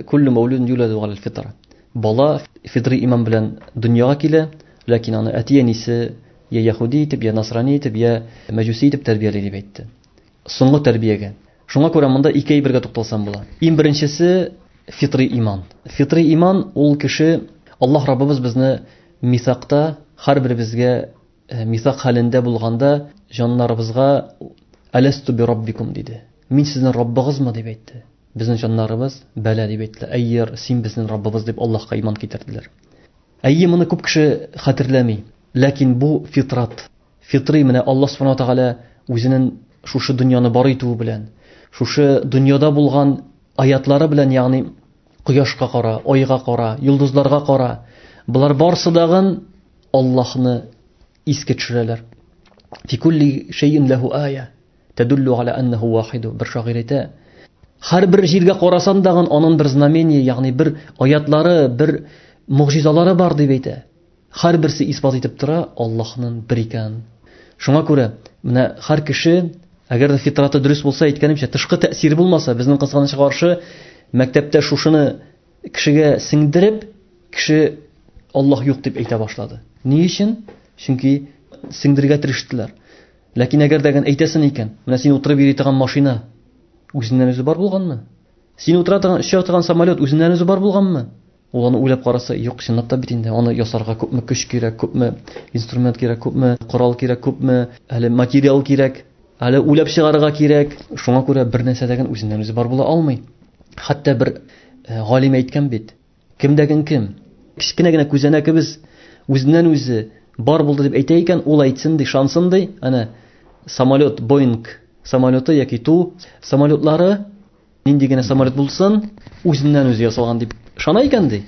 Куллу маулудун юладу алал фитра. Бала фитри иман белән дөньяга килә, ләкин аны әти-әнисе я яһүди итеп, я насрани итеп, я мәҗүси итеп тәрбияли дип әйтте. Соңгы тәрбиягә. Шуңа күрә монда ике әйбергә тукталсам була. Иң беренчесе фитри иман. Фитри иман ул кеше Аллаһ Раббыбыз безне мисакта һәрберебезгә мисак хәлендә булганда җаннарыбызга аласту би раббикум диде. Мин сезнең Раббыгызмы дип әйтте. Безнең җаннарыбыз бәла дип әйттеләр. Әйер, син безнең Раббыбыз дип Аллаһка иман китерделәр. Әйе, моны күп кеше хәтерләми. Ләкин бу фитрат. Фитри менә Аллаһ субхана ва тааля үзенең шушы дөньяны бар итүе белән, шушы дөньяда булган аятлары белән, ягъни кояшка кара, айга кара, йолдызларга кара, болар барсы дагын Аллаһны искә төшерәләр. Фи кулли шәйин ләһу ая тәдуллу аля аннаху вахиду. Бер шагыйрь әйтә, һәрбер җиргә карасан дагын аның бер знамение, ягъни бер аятлары, бер мугъҗизалары бар дип әйтә. Һәрберсе исбат итеп тора Аллаһның бер икәнен. Шуңа күрә менә һәр кеше, әгәр дә фитраты дөрес булса, әйткәнемчә, тышкы тәэсире булмаса, безнең кызганычка каршы Мәктәптә шушыны кешегә сеңдереп, кеше Аллаһ юк дип әйтә башлады. Ни өчен? Чөнки сеңдерергә тырыштылар. Ләкин әгәр дә әйтәсең икән, менә син утырып йөри торган машина үзеннән үзе бар булганмы? Син утыра торган, оча торган самолет үзеннән үзе бар булганмы? Ул аны уйлап караса, юк, чынлап та бит инде аны ясарга күпме көч кирәк, күпме инструмент кирәк, күпме корал кирәк, күпме әле материал кирәк, әле уйлап чыгарырга кирәк. Шуңа күрә бер нәрсә дә үзеннән үзе бар була алмый. Хәтта бер галим әйткән бит, кемдәген кем, кечкенә генә күзәнәкебез үзеннән үзе бар булды дип әйтә икән, ул әйтсен ди, шансын ди. Әнә самолет, Боинг самолеты яки Ту самолетлары, нинди генә самолет булсын, үзеннән үзе ясалган дип ышана икән ди.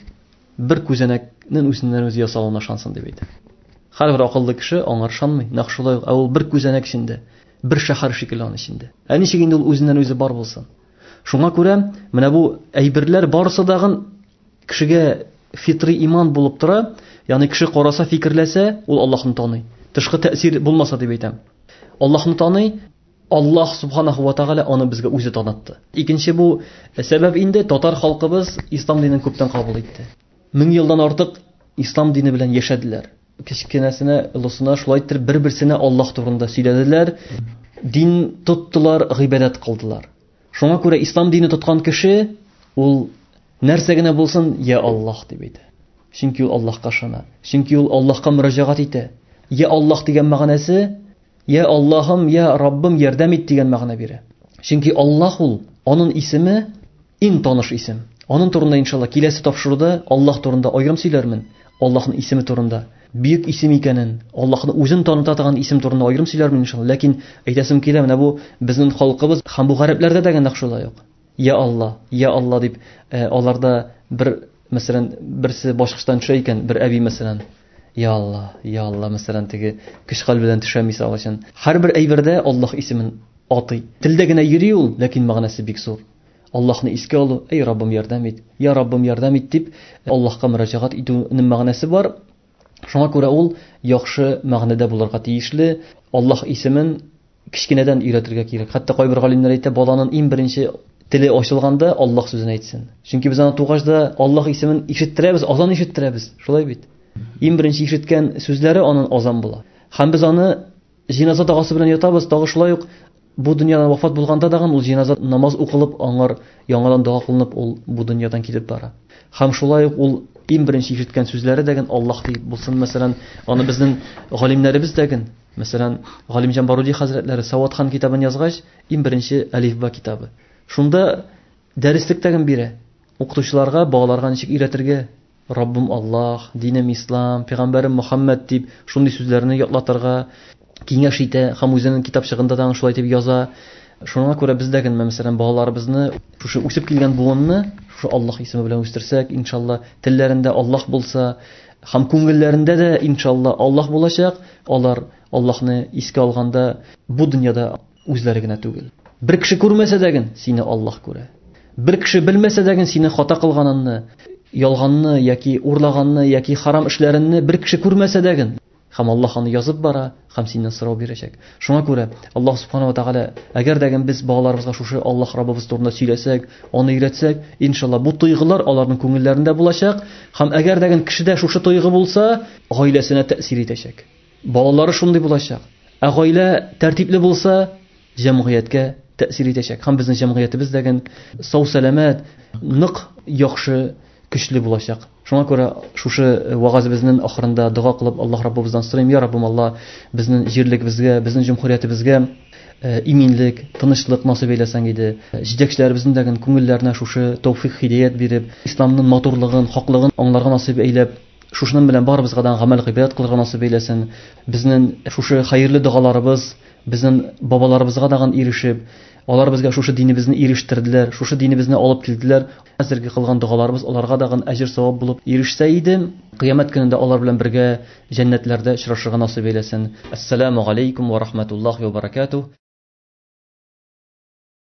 Бер күзәнәкнең үзеннән үзе ясалуына ышансын дип әйтә. Һәрбер акыллы кеше аңар ышанмый. Нәкъ шулай, ә ул бер күзәнәк эчендә, бер шәһәр шикелле аның эчендә. Ә ничек инде ул үзеннән үзе бар булсын? Шуңа күрә менә бу әйберләр барысы дагын кешегә фитри иман булып тора. Ягъни кеше караса, фикерләсә, ул Аллаһны таный. Тышкы тәэсир булмаса дип әйтәм. Аллаһны таный, Аллаһ субханаху ва тааля аны безгә үзе танытты. Икенче бу сәбәп инде татар халкыбыз ислам динен күптән кабул итте. Мең елдан артык ислам дине белән яшәделәр. Кечкенәсенә, олысына шулай итеп бер-берсенә Аллаһ турында сөйләделәр, дин тоттылар, гыйбадәт кылдылар. Шуңа күрә ислам дине тоткан кеше ул нәрсә генә булсын, я Аллаһ дип әйтә. Чөнки ул Аллаһка ышана. Чөнки ул Аллаһка мөрәҗәгать итә. Я Аллаһ дигән мәгънәсе, я Аллаһым, я Раббым ярдәм ит дигән мәгънә бирә. Чөнки Аллаһ ул, аның исеме иң таныш исем. Аның турында иншалла киләсе тапшыруда Аллаһ турында аерым сөйләрмен. Аллаһның исеме турында, бөек исем икәнен, Аллаһны үзен таныта торган исем турында аерым сөйләрмен иншалла. Ләкин әйтәсем килә, менә бу безнең халкыбыз һәм бу гарәпләрдә дә нәкъ шулай ук. Я Аллаһ, я Аллаһ дип аларда бер, мәсәлән, берсе башкачтан төшә икән, бер әби мәсәлән, я Аллаһ, я Аллаһ, мәсәлән, теге көч-хәл белән төшә мисал өчен. Һәрбер әйбердә Аллаһ исемен атый. Телдә генә йөри ул, ләкин мәгънәсе бик зур. Аллаһны искә алу, эй Раббым ярдәм ит, я Раббым ярдәм ит дип Аллаһка мөрәҗәгать итүнең мәгънәсе бар. Шуңа күрә ул яхшы мәгънәдә булырга тиешле. Аллаһ исемен кечкенәдән өйрәтергә кирәк. Хәтта кайбер галимнәр әйтә, баланың иң беренче теле ачылганда Аллаһ сүзен әйтсен. Чөнки без аны тугач да Аллаһ исемен ишеттерәбез, азан ишеттерәбез. Шулай бит. Иң беренче ишеткән сүзләре аның азан була. Һәм без аны җиназа догасы белән ятабыз, тагы шулай ук бу дөньядан вафат булганда дагы ул җиназа намаз укылып, аңар яңадан дога кылынып, ул бу дөньядан китеп бара. Һәм шулай ук ул иң беренче ишеткән сүзләре дәген Аллаһ дип булсын. Мәсәлән, аны безнең галимнәребез дәген, мәсәлән, Галимҗан Баруди хәзрәтләре Саватхан китабын язгач, иң беренче Әлифба китабы. Шунда дәреслек тәген бирә. Укытучыларга, балаларга ничек өйрәтергә? Раббым Аллаһ, динем Ислам, пәйгамбәрем Мухаммад дип шундый сүзләрне ятлатырга киңәш итә һәм үзенең китапчыгында да шулай дип яза. Шуңа күрә без дә генә, мәсәлән, балаларыбызны, шушы үсеп килгән буынны шушы Аллаһ исеме белән үстерсәк, иншалла, телләрендә Аллаһ булса, һәм күңелләрендә дә иншалла Аллаһ булачак, алар Аллаһны искә алганда бу дөньяда үзләре генә түгел. Бер кеше күрмәсә дә ген, сине Аллаһ күрә. Бер кеше белмәсә дә ген, сине хата кылганыңны, ялганны яки урлаганны яки харам эшләреңне бер кеше күрмәсә дә ген, һәм Аллаһ аны язып бара, һәм синнән сорау бирәчәк. Шуңа күрә Аллаһ субхана ва тааля, әгәр дә без балаларыбызга шушы Аллаһ Раббыбыз турында сөйләсәк, аны өйрәтсәк, иншалла бу тойгылар аларның күңелләрендә булачак, һәм әгәр дә кешедә шушы тойгы булса, гаиләсенә тәэсир итәчәк. Балалары шундый булачак. Ә гаилә тәртипле булса, җәмгыятькә тәэсир итәчәк. Һәм безнең җәмгыятебез дә сау-сәламәт, нык, яхшы, көчле булачак. Шуңа күрә шушы вагазыбызның ахырында дога кылып Аллаһ Раббыбыздан сорыйм: я Раббым Аллаһ, безнең җирлегебезгә, безнең җөмһүриятебезгә иминлек, тынычлык насыйп әйләсәң иде. Җитәкчеләребезнең дә күңелләренә шушы тәүфик, һидәят биреп, исламның матурлыгын, хаклыгын аңларга насыйп әйләп, шушының белән барыбызга да гамәл гыйбадәт кылырга насыйп әйләсен. Безнең шушы хәерле догаларыбыз безнең бабаларыбызга дагын ирешеп, алар безгә шушы динебезне ирештерделәр, шушы динебезне алып килделәр. Хәзерге кылган догаларыбыз аларга дагын әҗер савап булып ирешсә иде, кыямәт көнендә алар белән бергә җәннәтләрдә очрашырга насыйп әйләсен. Ассаламу алейкум ва рахматуллахи ва баракатуh.